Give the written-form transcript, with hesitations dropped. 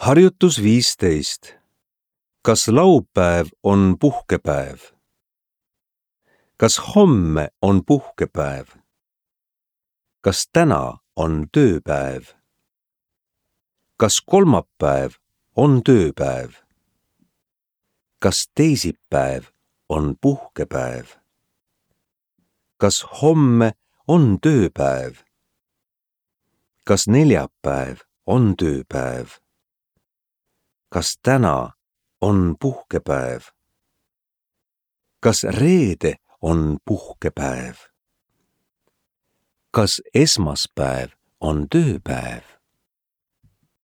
Harjutus 15. Kas laupäev on puhkepäev? Kas homme on puhkepäev? Kas täna on tööpäev? Kas kolmapäev on tööpäev? Kas teisipäev on puhkepäev? Kas homme on tööpäev? Kas neljapäev on tööpäev? Kas täna on puhkepäev? Kas reede on puhkepäev? Kas esmaspäev on tööpäev?